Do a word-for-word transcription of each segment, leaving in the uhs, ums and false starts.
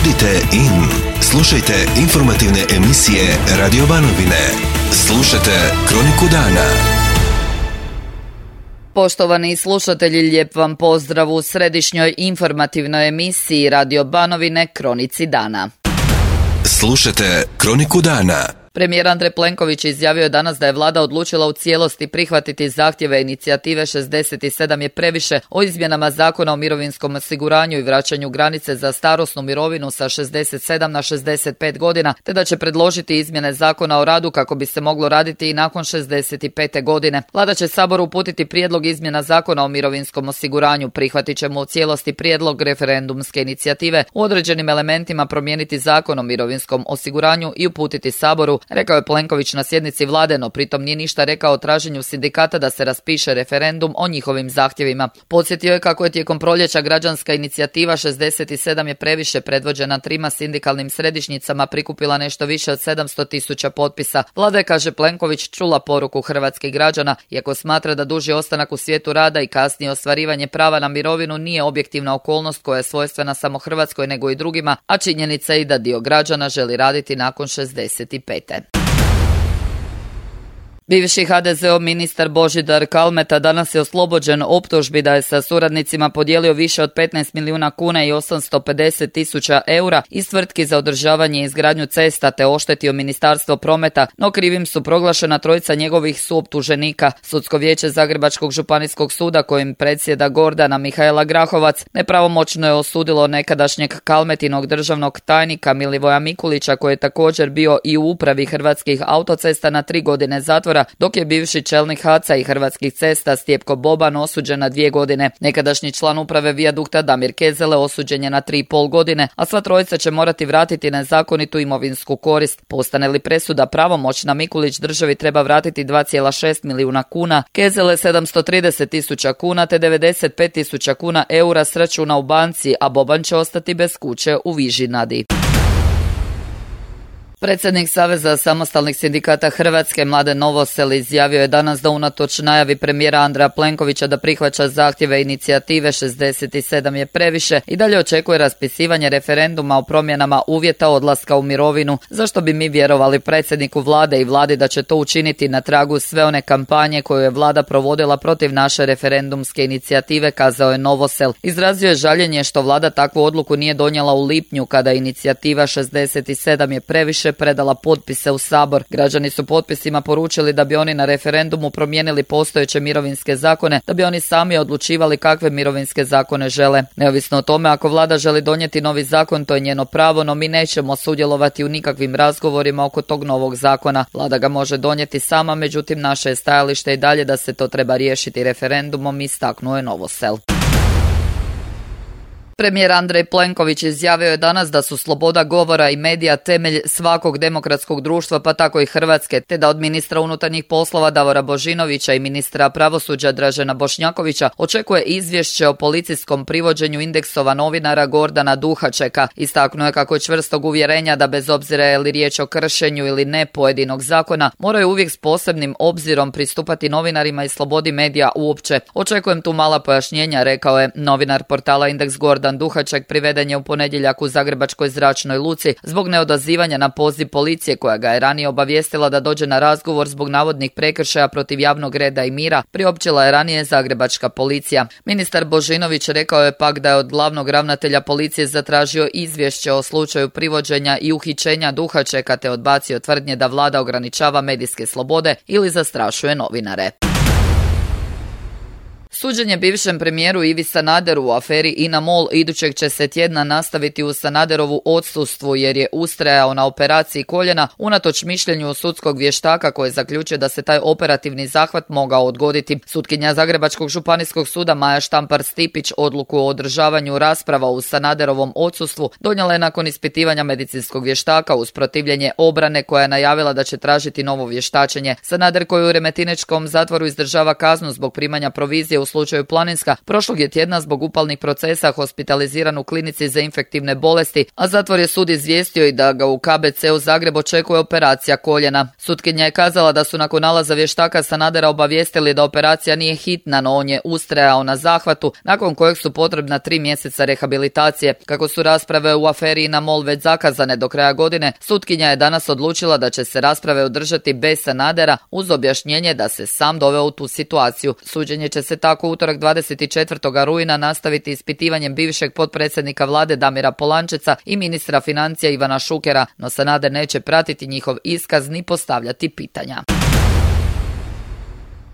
Budite in. Slušajte informativne emisije Radio Banovine. Slušajte Kroniku dana. Poštovani slušatelji, lijep vam pozdrav u središnjoj informativnoj emisiji Radio Banovine Kronici dana. Slušajte Kroniku dana. Premijer Andrej Plenković izjavio je danas da je vlada odlučila u cijelosti prihvatiti zahtjeve inicijative šezdeset sedam je previše o izmjenama Zakona o mirovinskom osiguranju i vraćanju granice za starosnu mirovinu sa šezdeset sedam na šezdeset pet godina, te da će predložiti izmjene Zakona o radu kako bi se moglo raditi i nakon šezdeset pete godine. Vlada će Saboru uputiti prijedlog izmjena Zakona o mirovinskom osiguranju. Prihvatit ćemo u cijelosti prijedlog referendumske inicijative, u određenim elementima promijeniti Zakon o mirovinskom osiguranju i uputiti Saboru, rekao je Plenković na sjednici vlade, no pritom nije ništa rekao o traženju sindikata da se raspiše referendum o njihovim zahtjevima. Podsjetio je kako je tijekom proljeća građanska inicijativa šezdeset sedam je previše, predvođena trima sindikalnim središnjicama, prikupila nešto više od sedamsto tisuća potpisa. Vlada je, kaže Plenković, čula poruku hrvatskih građana, iako smatra da duži ostanak u svijetu rada i kasnije ostvarivanje prava na mirovinu nije objektivna okolnost koja je svojstvena samo Hrvatskoj nego i drugima, a činjenica je i da dio građana želi raditi nakon šezdeset pete. Bivši ha de zeov ministar Božidar Kalmeta danas je oslobođen optužbi da je sa suradnicima podijelio više od petnaest milijuna kuna i osamsto pedeset tisuća eura iz tvrtki za održavanje i izgradnju cesta te oštetio Ministarstvo prometa, no krivim su proglašena trojica njegovih suoptuženika. Sudsko vijeće Zagrebačkog županijskog suda, kojim predsjeda Gordana Mihaela Grahovac, nepravomoćno je osudilo nekadašnjeg Kalmetinog državnog tajnika Milivoja Mikulića, koji je također bio i u upravi Hrvatskih autocesta, na tri godine zatvora, dok je bivši čelnik ha ce a i Hrvatskih cesta Stjepko Boban osuđen na dvije godine. Nekadašnji član uprave Vijadukta Damir Kezele osuđen je na tri i pol godine, a sva trojica će morati vratiti nezakonitu imovinsku korist. Postane li presuda pravomoćna, Mikulić državi treba vratiti dva zarez šest milijuna kuna, Kezele sedamsto trideset tisuća kuna te devedeset pet tisuća kuna eura s računa u banci, a Boban će ostati bez kuće u Vižinadi. Predsjednik Saveza samostalnih sindikata Hrvatske Mladen Novosel izjavio je danas da unatoč najavi premijera Andreja Plenkovića da prihvaća zahtjeve inicijative šezdeset sedam je previše i dalje očekuje raspisivanje referenduma o promjenama uvjeta odlaska u mirovinu, zašto bi mi vjerovali predsjedniku vlade i vladi da će to učiniti na tragu sve one kampanje koju je vlada provodila protiv naše referendumske inicijative, kazao je Novosel. Izrazio je žaljenje što vlada takvu odluku nije donijela u lipnju, kada inicijativa šezdeset sedam je previše predala potpise u Sabor. Građani su potpisima poručili da bi oni na referendumu promijenili postojeće mirovinske zakone, da bi oni sami odlučivali kakve mirovinske zakone žele. Neovisno o tome, ako vlada želi donijeti novi zakon, to je njeno pravo, no mi nećemo sudjelovati u nikakvim razgovorima oko tog novog zakona. Vlada ga može donijeti sama, međutim naše je stajalište i dalje da se to treba riješiti referendumom, istaknuo je Novosel. Premijer Andrej Plenković izjavio je danas da su sloboda govora i medija temelj svakog demokratskog društva, pa tako i Hrvatske, te da od ministra unutarnjih poslova Davora Božinovića i ministra pravosuđa Dražena Bošnjakovića očekuje izvješće o policijskom privođenju indeksova novinara Gordana Duhačeka. Istaknuo je kako je čvrstog uvjerenja da bez obzira je li riječ o kršenju ili ne pojedinog zakona, moraju uvijek s posebnim obzirom pristupati novinarima i slobodi medija uopće. Očekujem tu mala pojašnjenja, rekao je novinar portala Indeks Gordan Duhaček. Priveden je u ponedjeljak u Zagrebačkoj zračnoj luci zbog neodazivanja na poziv policije, koja ga je ranije obavijestila da dođe na razgovor zbog navodnih prekršaja protiv javnog reda i mira, priopćila je ranije Zagrebačka policija. Ministar Božinović rekao je pak da je od glavnog ravnatelja policije zatražio izvješće o slučaju privođenja i uhićenja Duhačeka te odbacio tvrdnje da vlada ograničava medijske slobode ili zastrašuje novinare. Suđenje bivšem premijeru Ivi Sanaderu u aferi INA MOL idućeg će se tjedna nastaviti u Sanaderovu odsustvu, jer je ustrajao na operaciji koljena unatoč mišljenju sudskog vještaka koji je zaključio da se taj operativni zahvat mogao odgoditi. Sutkinja Zagrebačkog županijskog suda Maja Štampar-Stipić odluku o održavanju rasprava u Sanaderovom odsustvu donijela je nakon ispitivanja medicinskog vještaka uz protivljenje obrane, koja je najavila da će tražiti novo vještačenje. Sanader, koji u remetinečkom zatvoru izdržava kaznu zbog primanja provizije u slučaju Planinska prošlog je tjedna zbog upalnih procesa hospitaliziran u klinici za infektivne bolesti, a zatvor je sud izvijestio i da ga u K B C u Zagreb očekuje operacija koljena. Sutkinja je kazala da su nakon nalaza vještaka Sanadera obavijestili da operacija nije hitna, no on je ustrajao na zahvatu, nakon kojeg su potrebna tri mjeseca rehabilitacije. Kako su rasprave u aferi INA MOL već zakazane do kraja godine, sutkinja je danas odlučila da će se rasprave održati bez Sanadera uz objašnjenje da se sam doveo u tu situaciju. Suđenje će se tako utorak dvadeset četvrtog rujna nastaviti ispitivanjem bivšeg potpredsjednika vlade Damira Polančeca i ministra financija Ivana Šukera, no Sanader neće pratiti njihov iskaz ni postavljati pitanja.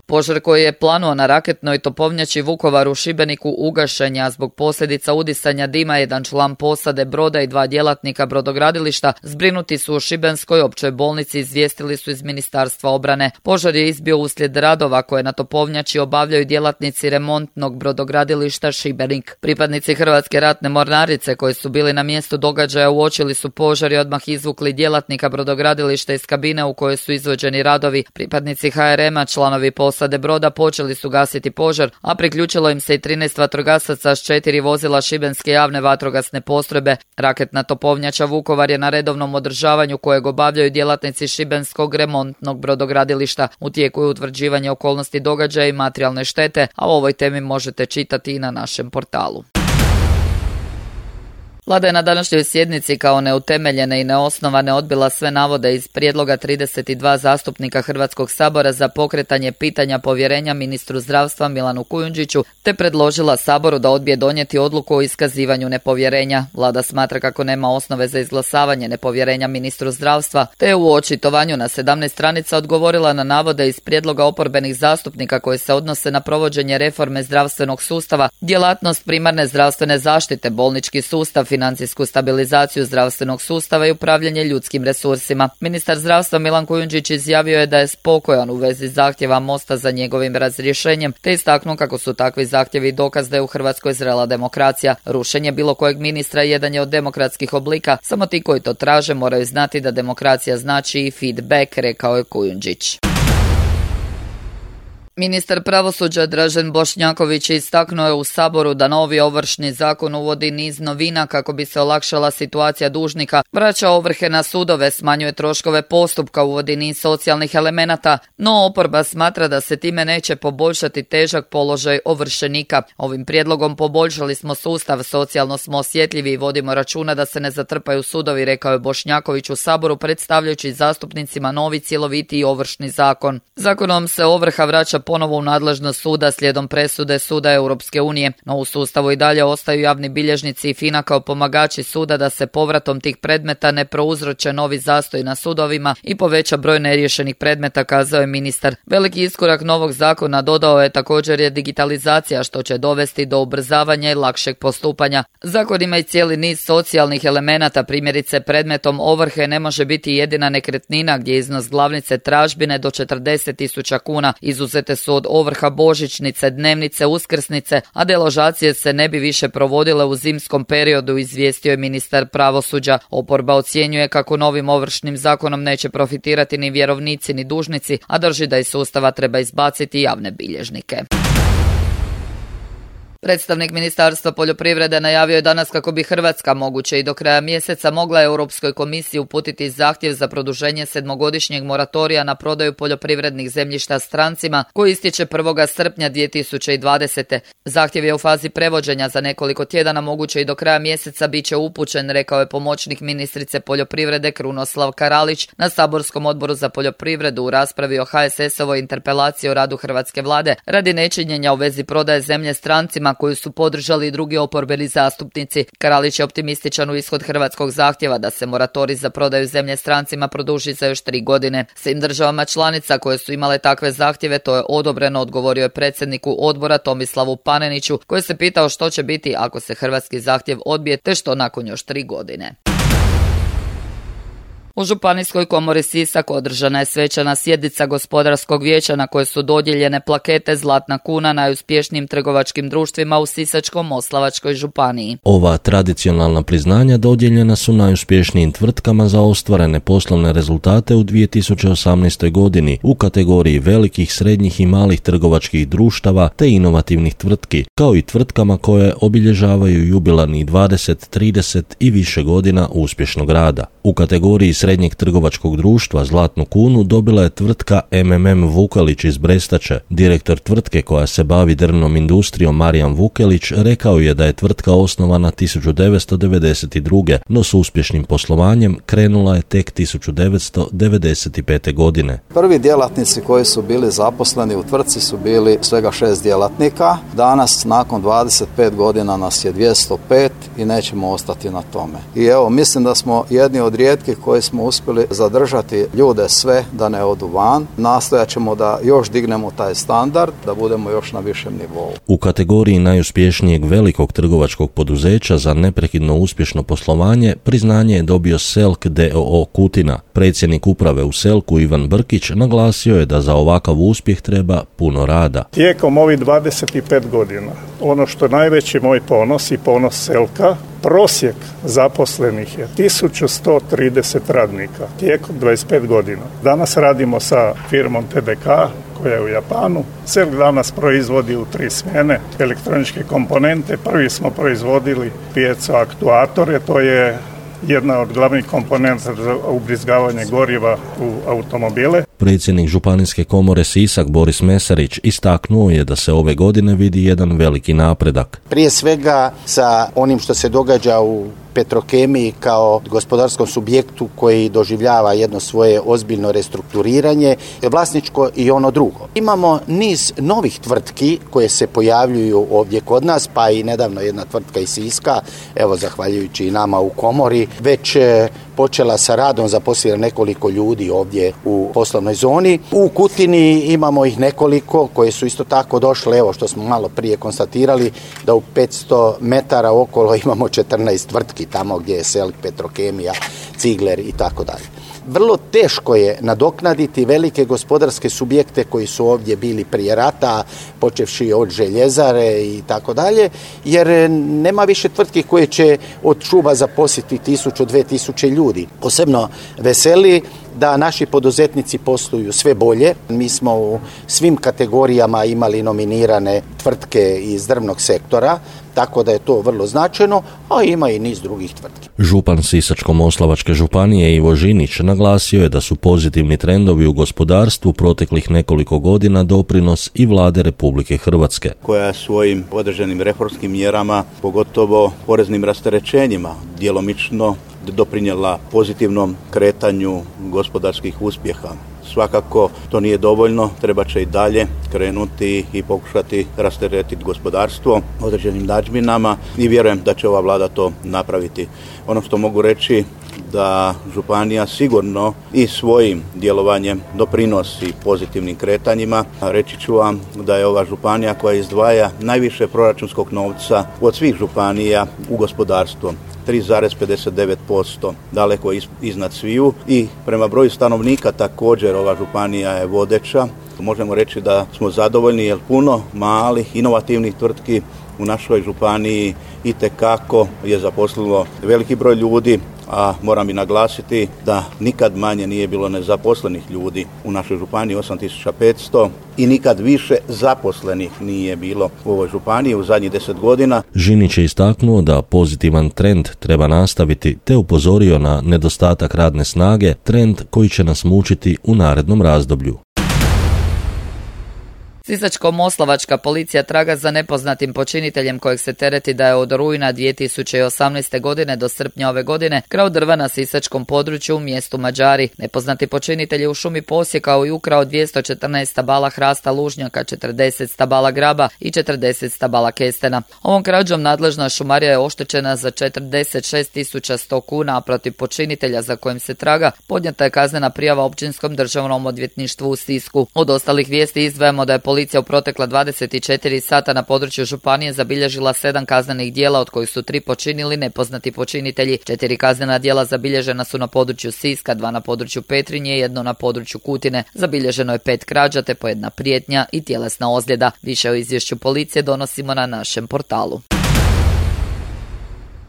Požar koji je planuo na raketnoj topovnjači Vukovar u Šibeniku ugašen je, a zbog posljedica udisanja dima jedan član posade broda i dva djelatnika brodogradilišta zbrinuti su u Šibenskoj općoj bolnici, izvijestili su iz Ministarstva obrane. Požar je izbio uslijed radova koje na topovnjači obavljaju djelatnici remontnog brodogradilišta Šibenik. Pripadnici Hrvatske ratne mornarice koji su bili na mjestu događaja uočili su požar i odmah izvukli djelatnika brodogradilišta iz kabine u kojoj su izvođeni radovi. Pripadnici H R M-a, članovi posade Posade broda počeli su gasiti požar, a priključilo im se i trinaest vatrogasaca s četiri vozila Šibenske javne vatrogasne postrojbe. Raketna topovnjača Vukovar je na redovnom održavanju kojeg obavljaju djelatnici Šibenskog remontnog brodogradilišta. U tijeku je utvrđivanje okolnosti događaja i materijalne štete, a o ovoj temi možete čitati i na našem portalu. Vlada je na današnjoj sjednici kao neutemeljene i neosnovane odbila sve navode iz prijedloga trideset dva zastupnika Hrvatskog sabora za pokretanje pitanja povjerenja ministru zdravstva Milanu Kujundžiću, te predložila Saboru da odbije donijeti odluku o iskazivanju nepovjerenja. Vlada smatra kako nema osnove za izglasavanje nepovjerenja ministru zdravstva, te je u očitovanju na sedamnaest stranica odgovorila na navode iz prijedloga oporbenih zastupnika koji se odnose na provođenje reforme zdravstvenog sustava, djelatnost primarne zdravstvene zaštite, bolnički sustav, financijsku stabilizaciju zdravstvenog sustava i upravljanje ljudskim resursima. Ministar zdravstva Milan Kujundžić izjavio je da je spokojan u vezi zahtjeva Mosta za njegovim razrješenjem, te istaknuo kako su takvi zahtjevi dokaz da je u Hrvatskoj zrela demokracija. Rušenje bilo kojeg ministra jedan je od demokratskih oblika, samo ti koji to traže moraju znati da demokracija znači i feedback, rekao je Kujundžić. Ministar pravosuđa Dražen Bošnjaković istaknuo je u Saboru da novi Ovršni zakon uvodi niz novina kako bi se olakšala situacija dužnika, vraća ovrhe na sudove, smanjuje troškove postupka, uvodi niz socijalnih elemenata, no oporba smatra da se time neće poboljšati težak položaj ovršenika. Ovim prijedlogom poboljšali smo sustav, socijalno smo osjetljivi i vodimo računa da se ne zatrpaju sudovi, rekao je Bošnjaković u Saboru predstavljajući zastupnicima novi cjelovitiji Ovršni zakon. Zakonom se ovrha vraća ponovo u nadležnost suda slijedom presude Suda Europske unije, no u sustavu i dalje ostaju javni bilježnici i FINA kao pomagači suda da se povratom tih predmeta ne prouzroče novi zastoj na sudovima i poveća broj neriješenih predmeta, kazao je ministar. Veliki iskorak novog zakona, dodao je, također je digitalizacija što će dovesti do ubrzavanja i lakšeg postupanja. Zakon ima i cijeli niz socijalnih elemenata, primjerice predmetom ovrhe ne može biti jedina nekretnina gdje iznos glavnice tražbine do četrdeset tisuća kuna, izuzete su od ovrha božićnice, dnevnice, uskrsnice, a deložacije se ne bi više provodile u zimskom periodu, izvijestio je ministar pravosuđa. Oporba ocjenjuje kako novim ovršnim zakonom neće profitirati ni vjerovnici ni dužnici, a drži da iz sustava treba izbaciti javne bilježnike. Predstavnik Ministarstva poljoprivrede najavio je danas kako bi Hrvatska moguće i do kraja mjeseca mogla Europskoj komisiji uputiti zahtjev za produženje sedmogodišnjeg moratorija na prodaju poljoprivrednih zemljišta strancima koji istječe prvog srpnja dvije tisuće dvadesete. Zahtjev je u fazi prevođenja, za nekoliko tjedana moguće i do kraja mjeseca bit će upućen, rekao je pomoćnik ministrice poljoprivrede Krunoslav Karalić na saborskom odboru za poljoprivredu u raspravi o H S S-ovoj interpelaciji o radu hrvatske vlade radi nečinjenja u vezi prodaje zemlje strancima koju su podržali i drugi oporbeni zastupnici. Karalić je optimističan u ishod hrvatskog zahtjeva da se moratorij za prodaju zemlje strancima produži za još tri godine. Svim državama članica koje su imale takve zahtjeve to je odobreno, odgovorio je predsjedniku odbora Tomislavu Paneniću, koji se pitao što će biti ako se hrvatski zahtjev odbije te što nakon još tri godine. U Županijskoj komori Sisak održana je svečana sjednica gospodarskog vijeća na kojoj su dodijeljene plakete Zlatna kuna najuspješnijim trgovačkim društvima u Sisačko-moslavačkoj županiji. Ova tradicionalna priznanja dodijeljena su najuspješnijim tvrtkama za ostvarene poslovne rezultate u dvije tisuće osamnaestoj godini u kategoriji velikih, srednjih i malih trgovačkih društava te inovativnih tvrtki, kao i tvrtkama koje obilježavaju jubilarnih dvadeset, trideset i više godina uspješnog rada. U kategoriji srednjeg trgovačkog društva Zlatnu kunu dobila je tvrtka M M M Vukelić iz Brestače. Direktor tvrtke koja se bavi drvnom industrijom Marijan Vukelić rekao je da je tvrtka osnovana tisuću devetsto devedeset druge. no s uspješnim poslovanjem krenula je tek tisuću devetsto devedeset pete. godine. Prvi djelatnici koji su bili zaposleni u tvrtci su bili svega šest djelatnika. Danas, nakon dvadeset pet godina, nas je dvjesto pet i nećemo ostati na tome. I evo, mislim da smo jedni od rijetkih koji smo uspjeli zadržati ljude sve da ne odu van. Nastojat ćemo da još dignemo taj standard, da budemo još na višem nivou. U kategoriji najuspješnijeg velikog trgovačkog poduzeća za neprekidno uspješno poslovanje priznanje je dobio Selk d o o Kutina. Predsjednik uprave u Selku Ivan Brkić naglasio je da za ovakav uspjeh treba puno rada. Tijekom ovih dvadeset pet godina, ono što je najveći moj ponos i ponos Selka, prosjek zaposlenih je tisuću sto trideset radnika tijekom dvadeset pet godina. Danas radimo sa firmom T D K koja je u Japanu. Selk danas proizvodi u tri smjene elektroničke komponente. Prvi smo proizvodili piezo aktuatore, to je jedna od glavnih komponenta za ubrizgavanje goriva u automobile. Predsjednik Županijske komore Sisak Boris Mesarić istaknuo je da se ove godine vidi jedan veliki napredak. Prije svega sa onim što se događa u Petrokemiji kao gospodarskom subjektu koji doživljava jedno svoje ozbiljno restrukturiranje, vlasničko i ono drugo. Imamo niz novih tvrtki koje se pojavljuju ovdje kod nas, pa i nedavno jedna tvrtka iz Siska, evo zahvaljujući i nama u komori, već počela sa radom, zaposlila nekoliko ljudi ovdje u poslovnoj zoni. U Kutini imamo ih nekoliko koje su isto tako došle, evo što smo malo prije konstatirali, da u petsto metara okolo imamo četrnaest tvrtki, tamo gdje je Selk, Petrokemija, Cigler i tako dalje. Vrlo teško je nadoknaditi velike gospodarske subjekte koji su ovdje bili prije rata, počevši od željezare i tako dalje, jer nema više tvrtki koje će od šuba zaposliti tisuću, dve tisuće ljudi. Posebno veseli da naši poduzetnici posluju sve bolje. Mi smo u svim kategorijama imali nominirane tvrtke iz drvnog sektora, tako da je to vrlo značajno, a ima i niz drugih tvrtki. Župan Sisačko-moslavačke županije Ivo Žinić naglasio je da su pozitivni trendovi u gospodarstvu proteklih nekoliko godina doprinos i vlade Republike Hrvatske, koja svojim određenim reformskim mjerama, pogotovo poreznim rasterećenjima, djelomično doprinijela pozitivnom kretanju gospodarskih uspjeha. Svakako to nije dovoljno, treba će i dalje krenuti i pokušati rasteretiti gospodarstvo određenim nadžbinama i vjerujem da će ova vlada to napraviti. Ono što mogu reći da županija sigurno i svojim djelovanjem doprinosi pozitivnim kretanjima. Reći ću vam da je ova županija koja izdvaja najviše proračunskog novca od svih županija u gospodarstvo. tri zarez pedeset devet posto, daleko iznad sviju i prema broju stanovnika također ova županija je vodeća. Možemo reći da smo zadovoljni jer puno malih, inovativnih tvrtki u našoj županiji itekako je zaposlilo veliki broj ljudi, a moram i naglasiti da nikad manje nije bilo nezaposlenih ljudi u našoj županiji, osam tisuća petsto, i nikad više zaposlenih nije bilo u ovoj županiji u zadnjih deset godina. Žinić je istaknuo da pozitivan trend treba nastaviti, te upozorio na nedostatak radne snage, trend koji će nas mučiti u narednom razdoblju. Sisačko-moslavačka policija traga za nepoznatim počiniteljem kojeg se tereti da je od rujna dvije tisuće osamnaeste. godine do srpnja ove godine krao drva na sisačkom području u mjestu Mađari. Nepoznati počinitelj je u šumi posjekao i ukrao dvjesto četrnaest stabala hrasta lužnjaka, četrdeset stabala graba i četrdeset stabala kestena. Ovom krađom nadležna šumarija je oštećena za četrdeset šest tisuća sto kuna, a protiv počinitelja za kojim se traga podnijeta je kaznena prijava Općinskom državnom odvjetništvu u Sisku. Od ostalih vijesti izdvajamo da je policija policija u protekla dvadeset četiri sata na području županije zabilježila sedam kaznenih djela, od kojih su tri počinili nepoznati počinitelji. Četiri kaznena djela zabilježena su na području Siska, dva na području Petrinje i jedno na području Kutine. Zabilježeno je pet krađa te po jedna prijetnja i tjelesna ozljeda. Više o izvješću policije donosimo na našem portalu.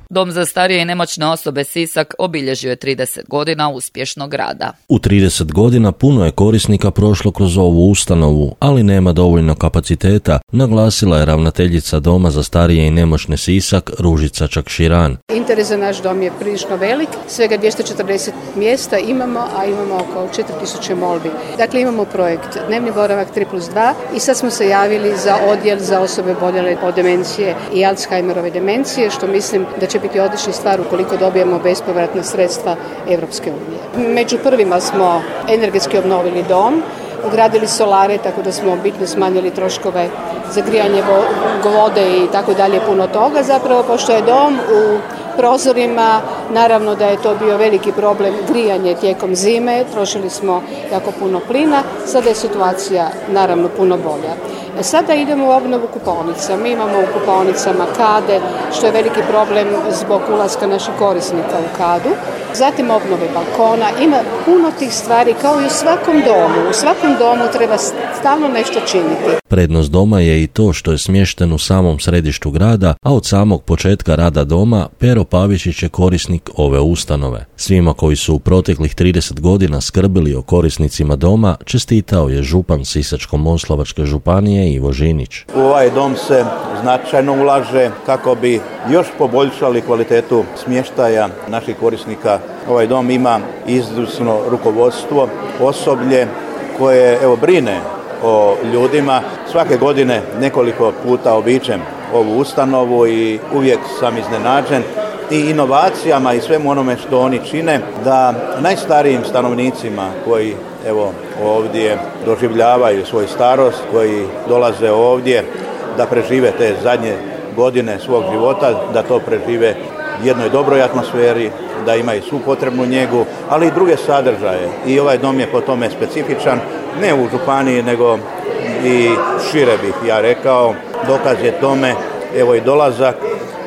Dom za starije i nemoćne osobe Sisak obilježio je trideset godina uspješnog rada. U trideset godina puno je korisnika prošlo kroz ovu ustanovu, ali nema dovoljno kapaciteta, naglasila je ravnateljica Doma za starije i nemoćne Sisak Ružica Čakširan. Interes za naš dom je prilično velik, svega dvjesto četrdeset mjesta imamo, a imamo oko četiri tisuće molbi. Dakle, imamo projekt Dnevni boravak tri plus dva i sad smo se javili za odjel za osobe boljele od demencije i Alzheimerove demencije, što mislim da će biti odlična stvar ukoliko dobijemo bespovratna sredstva Europske unije. Među prvima smo energetski obnovili dom, ugradili solare, tako da smo bitno smanjili troškove za grijanje vode i tako dalje, puno toga. Zapravo, pošto je dom u prozorima, naravno da je to bio veliki problem grijanje tijekom zime, trošili smo jako puno plina, sada je situacija naravno puno bolja. Sada idemo u obnovu kupaonica. Mi imamo u kupaonicama kade, što je veliki problem zbog ulaska naših korisnika u kadu. Zatim obnove balkona. Ima puno tih stvari kao i u svakom domu. U svakom domu treba stalno nešto činiti. Prednost doma je i to što je smješten u samom središtu grada, a od samog početka rada doma Pero Pavičić je korisnik ove ustanove. Svima koji su u proteklih trideset godina skrbili o korisnicima doma čestitao je župan Sisačko-moslavačke županije Ivo Žinić. U ovaj dom se značajno ulaže kako bi još poboljšali kvalitetu smještaja naših korisnika. Ovaj dom ima izvrsno rukovodstvo, osoblje koje evo brine o ljudima. Svake godine nekoliko puta obiđem ovu ustanovu i uvijek sam iznenađen i inovacijama i svemu onome što oni čine, da najstarijim stanovnicima koji evo ovdje doživljavaju svoju starost, koji dolaze ovdje da prežive te zadnje godine svog života, da to prežive u jednoj dobroj atmosferi, da imaju svu potrebnu njegu, ali i druge sadržaje. I ovaj dom je po tome specifičan, ne u županiji, nego i šire bih ja rekao. Dokaz je tome, evo i dolazak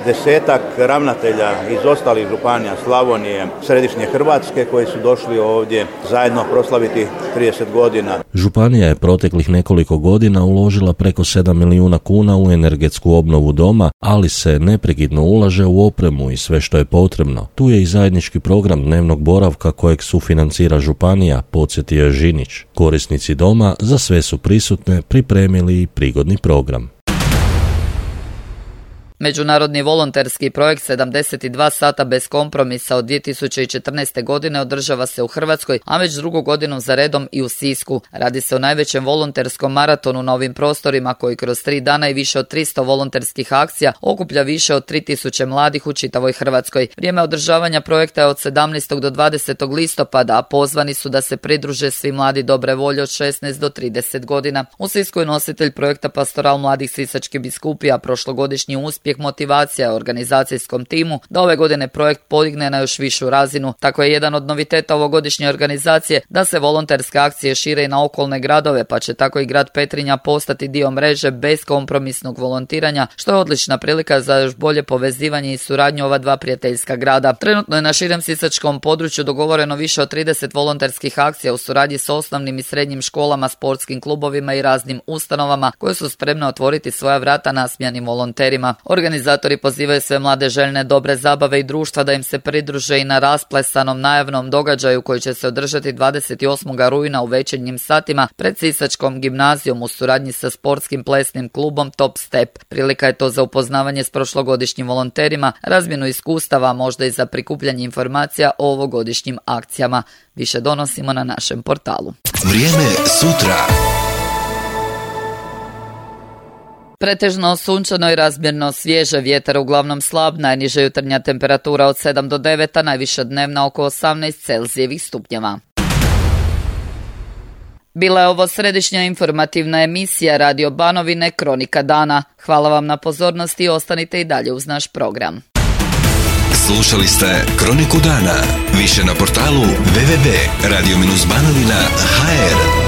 desetak ravnatelja iz ostalih županija Slavonije, središnje Hrvatske, koji su došli ovdje zajedno proslaviti trideset godina. Županija je proteklih nekoliko godina uložila preko sedam milijuna kuna u energetsku obnovu doma, ali se neprekidno ulaže u opremu i sve što je potrebno. Tu je i zajednički program dnevnog boravka kojeg sufinancira županija, podsjetio je Žinić. Korisnici doma za sve su prisutne pripremili i prigodni program. Međunarodni volonterski projekt sedamdeset dva sata bez kompromisa od dvije tisuće četrnaeste. godine održava se u Hrvatskoj, a već drugu godinu za redom i u Sisku. Radi se o najvećem volonterskom maratonu na ovim prostorima koji kroz tri dana i više od tristo volonterskih akcija okuplja više od tri tisuće mladih u čitavoj Hrvatskoj. Vrijeme održavanja projekta je od sedamnaestog do dvadesetog listopada, a pozvani su da se pridruže svi mladi dobre volje od šesnaest do trideset godina. U Sisku je nositelj projekta Pastoral mladih sisačkih biskupija, prošlogodišnji uspjeh motivacija organizacijskom timu da ove godine projekt podigne na još višu razinu. Tako je jedan od noviteta ovogodišnje organizacije da se volonterske akcije šire i na okolne gradove, pa će tako i grad Petrinja postati dio mreže beskompromisnog volontiranja, što je odlična prilika za još bolje povezivanje i suradnju ova dva prijateljska grada. Trenutno je na širem sisačkom području dogovoreno više od trideset volonterskih akcija u suradnji s osnovnim i srednjim školama, sportskim klubovima i raznim ustanovama koje su spremne otvoriti svoja vrata nasmijanim volonterima. Organizatori pozivaju sve mlade željne dobre zabave i društva da im se pridruže i na rasplesanom najavnom događaju koji će se održati dvadeset osmog rujna u večernjim satima pred Sisačkom gimnazijom u suradnji sa sportskim plesnim klubom Top Step. Prilika je to za upoznavanje s prošlogodišnjim volonterima, razmjenu iskustava, možda i za prikupljanje informacija o ovogodišnjim akcijama. Više donosimo na našem portalu. Vrijeme sutra. Pretežno sunčano i razmjerno svježe, vjetar uglavnom slab, najniža jutarnja temperatura od sedam do devet, a najviša dnevna oko osamnaest Celzijevih stupnjeva. Bila je ovo središnja informativna emisija Radio Banovine Kronika dana. Hvala vam na pozornosti i ostanite i dalje uz naš program. Slušali ste Kroniku dana. Više na portalu w w w tačka radio banovina tačka h r.